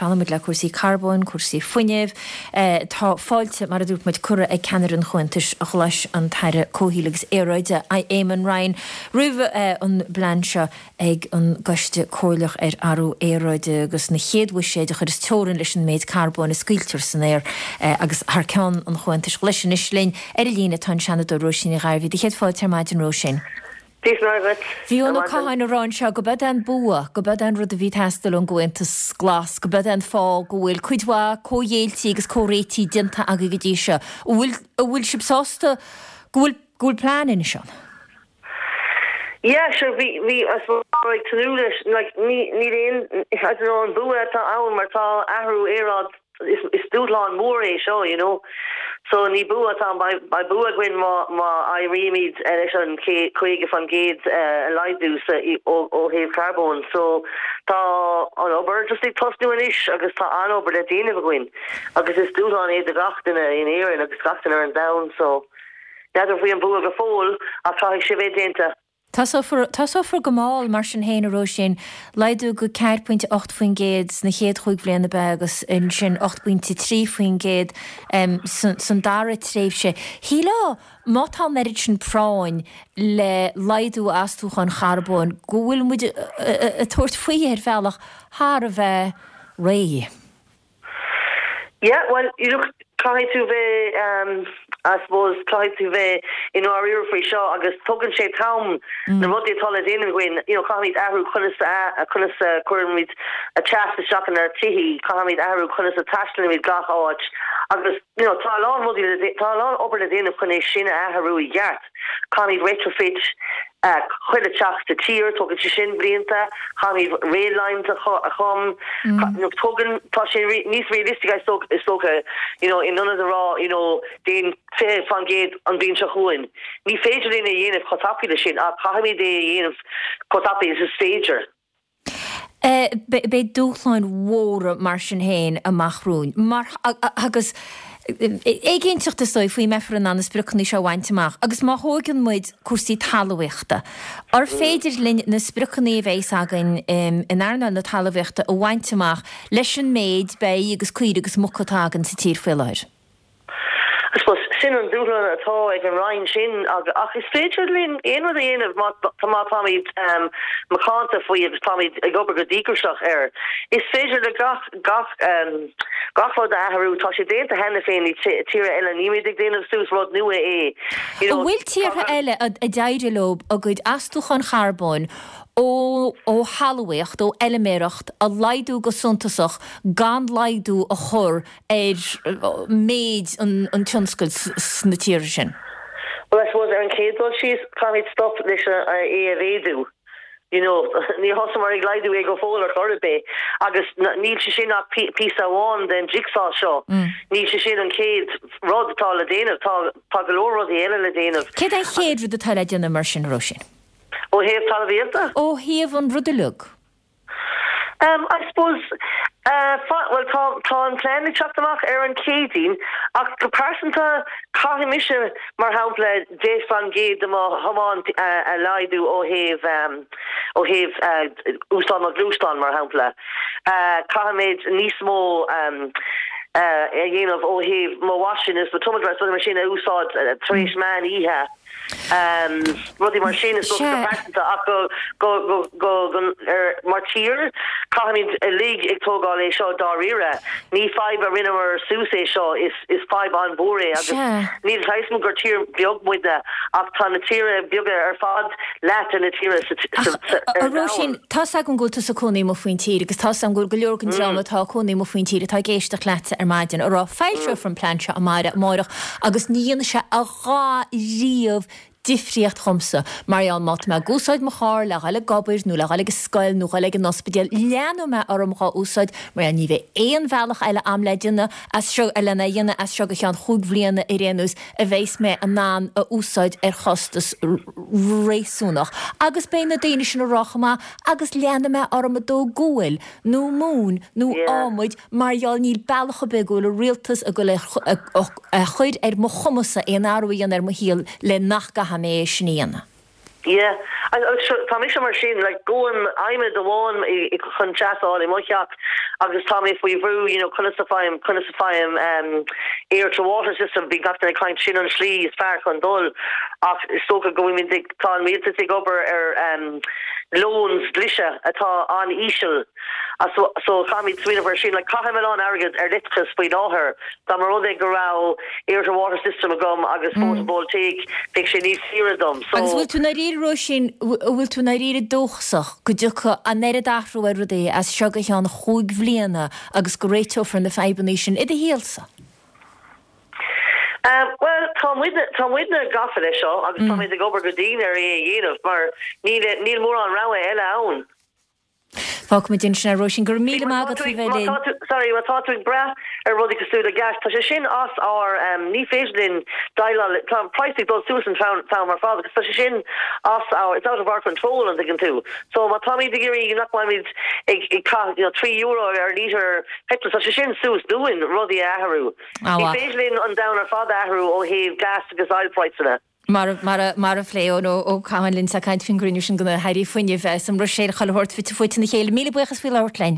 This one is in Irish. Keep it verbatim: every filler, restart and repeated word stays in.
Fanfaimid le cúrsaí carbóin, cúrsaí fuinnimh. Tá fáilte, mar a dúirt muid, curtha ag ceannaire an Chomhaontais Ghlais, an tAire Comhshaoil agus Aeráide, Eamon Ryan, roimh an bplean seo ag an gCoiste Comhairleach ar Athrú Aeráide agus na chéad bhuiséid a chuireas teorainn leis an méid carbóin a scaoiltear san aer. Agus thar ceann an Chomhaontais Ghlais anois linn ar an líne tá an Seanadóir Róisín Ní Ghairbhí. Do chéad fáilte ar maidin, Róisín. Dia is Muire dhuit. Bhí Eoin Ó Catháin ag rá anseo go b'eod é an bua, go b'eod é an rud a bhí ag teastáil ón gComhaontas Glas, go b'eod é an fáth go bhfuil cuid mhaith comhghéilltí agus comhréití déanta agaibh go dtí seo. An bhfuil, an bhfuil sibh sásta go bhfuil, go bhfuil plean anois ann? Yeah, sure, bhí, bhí, I suppose, ag tnúth leis, like, ní, níl aon, I don't know, an bua atá ann mar tá athrú aeráid is, is dúshlán mór é seo, you know. So ní bua atá ann, beidh, beidh bua againn má, má éirímid leis an caoga faoin gcéad a laghdú sa, ó, ó thaobh carbóin. So tá an obair just ag tosnú anois agus tá an-obair le déanamh againn agus is dúshlán é do gach duine in Éirinn agus gach duine ar an domhan. So n'fheadar faoi an bua go fóill ach caithfidh sé bheith déanta. Tosófar, tosófar go mall mar sin féin, a Róisín, laghdú go ceathair pointe ocht faoin gcéad sna chéad chúig bhliain ab ea agus ansin ocht bpointe trí faoin gcéad san dara tréimhse. Shílfeá má tá an oiread sin práinn le laghdú astúcháin charbóin go bhfuil muid ag tabhairt faoi ar bhealach thar a bheith réidh. Yeah, well, you look, caithfidh tú bheith, um, I suppose, caithfidh tú bheith i ndáiríre faoi seo agus tugann sé t-am na rudaí atá le déanamh againn, you know, caithfimid athrú conas a, conas a chuirimid a teas isteach inár tithe, caithfimid athrú conas a taistealaimid gach áit agus, you know, tá a lán rudaí le, tá a lán obair le déanamh chun é sin a athrú i gceart. Caithfimid retrofit chuile teach sa tír, tógann sé sin blianta, caithfimid rail lines a chum, tógann, tá sé níos realistic is dócha, you know, in ionad a rá, you know, déan fiche faoin gcéad an bhliain seo chugainn. Ní féidir linn é a dhéanamh chomh tapaidh leis sin ach caithfimid é a dhéanamh chomh tapaidh is is féidir. Beidh dúshláin mhóra mar sin féin amach romhainn. Mar, agus éiginnteacht is dóigh faoi mbeifear in ann na spriocanna seo a bhaint amach. Agus má thóigeann muid cúrsaí talmhaíochta, ar féidir linn na spriocanna a bheas againn in earnáil na talmhaíochta a bhaint amach leis an méid beithígh agus caoirigh agus muca atá againn sa tír faoi láthair? I suppose sin an dúshlán atá ag an Roinn sin ach is féidir linn aon rud a dhéanamh má má táimid macánta faoi agus táimid ag obair go díograiseach air. Is féidir le gach gach gach rud a athrú. Tá sé déanta cheana féin i tíortha eile, nílimid ag déanamh suas rud nua é. You know, An bhfuil tíortha eile a d'éirigh leo a gcuid astúcháin charbóin ó ó thalmhaíocht, ó fheilméireacht a laghdú go suntasach gan laghdú a chur ar méid an tionscail sna tíortha sin? Well, I suppose ar an chéad dul síos, caithfimid stop leis é a mhéadú. You know, níor thosaíomar ag laghdú é go fóill ar chor ar bith agus níl sé sin ach píosa amháin den jigsaw seo. Níl sé sin an chéad rud atá le déanamh, tá tá go leor rudaí eile le déanamh. Céard é an chéad rud atá le déanamh mar sin, Róisín? Ó thaobh talmhaíochta? Ó thaobh an rud uilig. Um, I suppose, uh, well, tá, tá an plean ag teacht amach ar an Chéadaoin, ach go pearsanta caithfidh mise, mar shampla, deich faoin gcéad de mo thiomáint a, a laghdú ó thaobh, um, ó thaobh uh, úsáid mo ghluaisteán, mar shampla. Uh, caithfimid níos mó um, uh, a dhéanamh ó thaobh mo washing is mo tumble dryers, rudaí mar sin a úsáid uh, tar éis meán oíche. Um, rudaí mar sin is dócha go pearsanta ach go go go go go ar mar tír caithfimid uilig ag tógáil é seo dáiríre. Ní fadhb a rinneamar suas é seo is is fadhb an-mhór é agus níl a fhios agam gur tír beag muidne ach tá na tíortha beaga ar fad leath de na tíortha sa Ach sa sa a ar Róisín, domhan. tá's agam go bhfuil tusa ag cónaí amuigh faoin tír agus tá's agam go bhfuil go leor den dream atá ag cónaí amuigh faoin tír atá ag éisteacht leatsa ar maidin a rá foilseofar an plean seo amárach amárach agus ní dhéanfaidh sé a dhath riamh difríocht dhomsa. Mar gheall má tá mé ag úsáid mo charr le dhul ag obair nó le dhul ag an scoil nó dhul ag an ospidéal, leanfaidh mé orm dhá úsáid mar gheall ní bheidh aon bhealach eile a'm le déanamh as seo lena dhéanamh as seo go ceann chúig bhliana ar aon nós a bheas mé in ann a úsáid ar chostas réasúnach. Agus beidh na daoine sin ag rá chomh maith agus leanfaidh mé orm ag dó guail nó móin nó adhmaid mar gheall níl bealach ar bith go bhfuil an rialtas ag dul a chur ar mo chumas-sa aon athrú a dhéanamh ar mo shaol le nach gcaithfidh mé é sin a dhéanamh. Yeah, tá mise mar sin like gabhaim adhmad amháin chun teas a fháil i mo theach agus tá mé faoi bhrú you know conas a fhaighim conas a fhaighim um, air to water system bíonn gach duine ag caint sin an slí is fearr chun dul ach is dócha go bhfuil tá an rialtas ag obair ar um, loans dlise atá an-íseal so, so caithfimid smaoineamh ar sin like caithim a lán airgead ar leictreachas faoi láthair Dá mba rud é go raibh air to water system agam agus mm. photovoltaic bheadh sé níos saoire dom so Agus bhfuil tú dáiríre Róisín bhfuil tú dáiríre dóchasach go dtiocfaidh an oiread athrú ar rudaí as seo go ceann cúig bhliana agus go réiteofar na fadhbanna sin i do shaolsa. Um, well tá tá muidne gafa leis seo agus mm. tá ag obair go dian ar é a dhéanamh mar níl níl mórán rogha eile ann. Fágfaimid ansin é Róisín go míle maith agat bheith Sorry má tá tú ag brath ar rudaí cosúil le gas Tá sé sin as ár um, ní féidir linn déileáil tá price ag dul suas an t-am ar fad agus tá sé sin as our it's out of our control an dtuigeann tú. So má táimid ag iarraidh nach mbeimid ag ag you know, trí euro ar líter petrol tá sé sin suas dúinn rudaí a athrú. Ní féidir linn an domhan ar fad athrú ó thaobh gas agus oil price. Mar mar mar a phléigh Eoin Ó Catháin linn sa caint faoin gcruinniú sin gona hairí fuinnimh sa mBruiséil chuile shórt fite fuaite ina chéile míle buíochas faoi labhairt linn.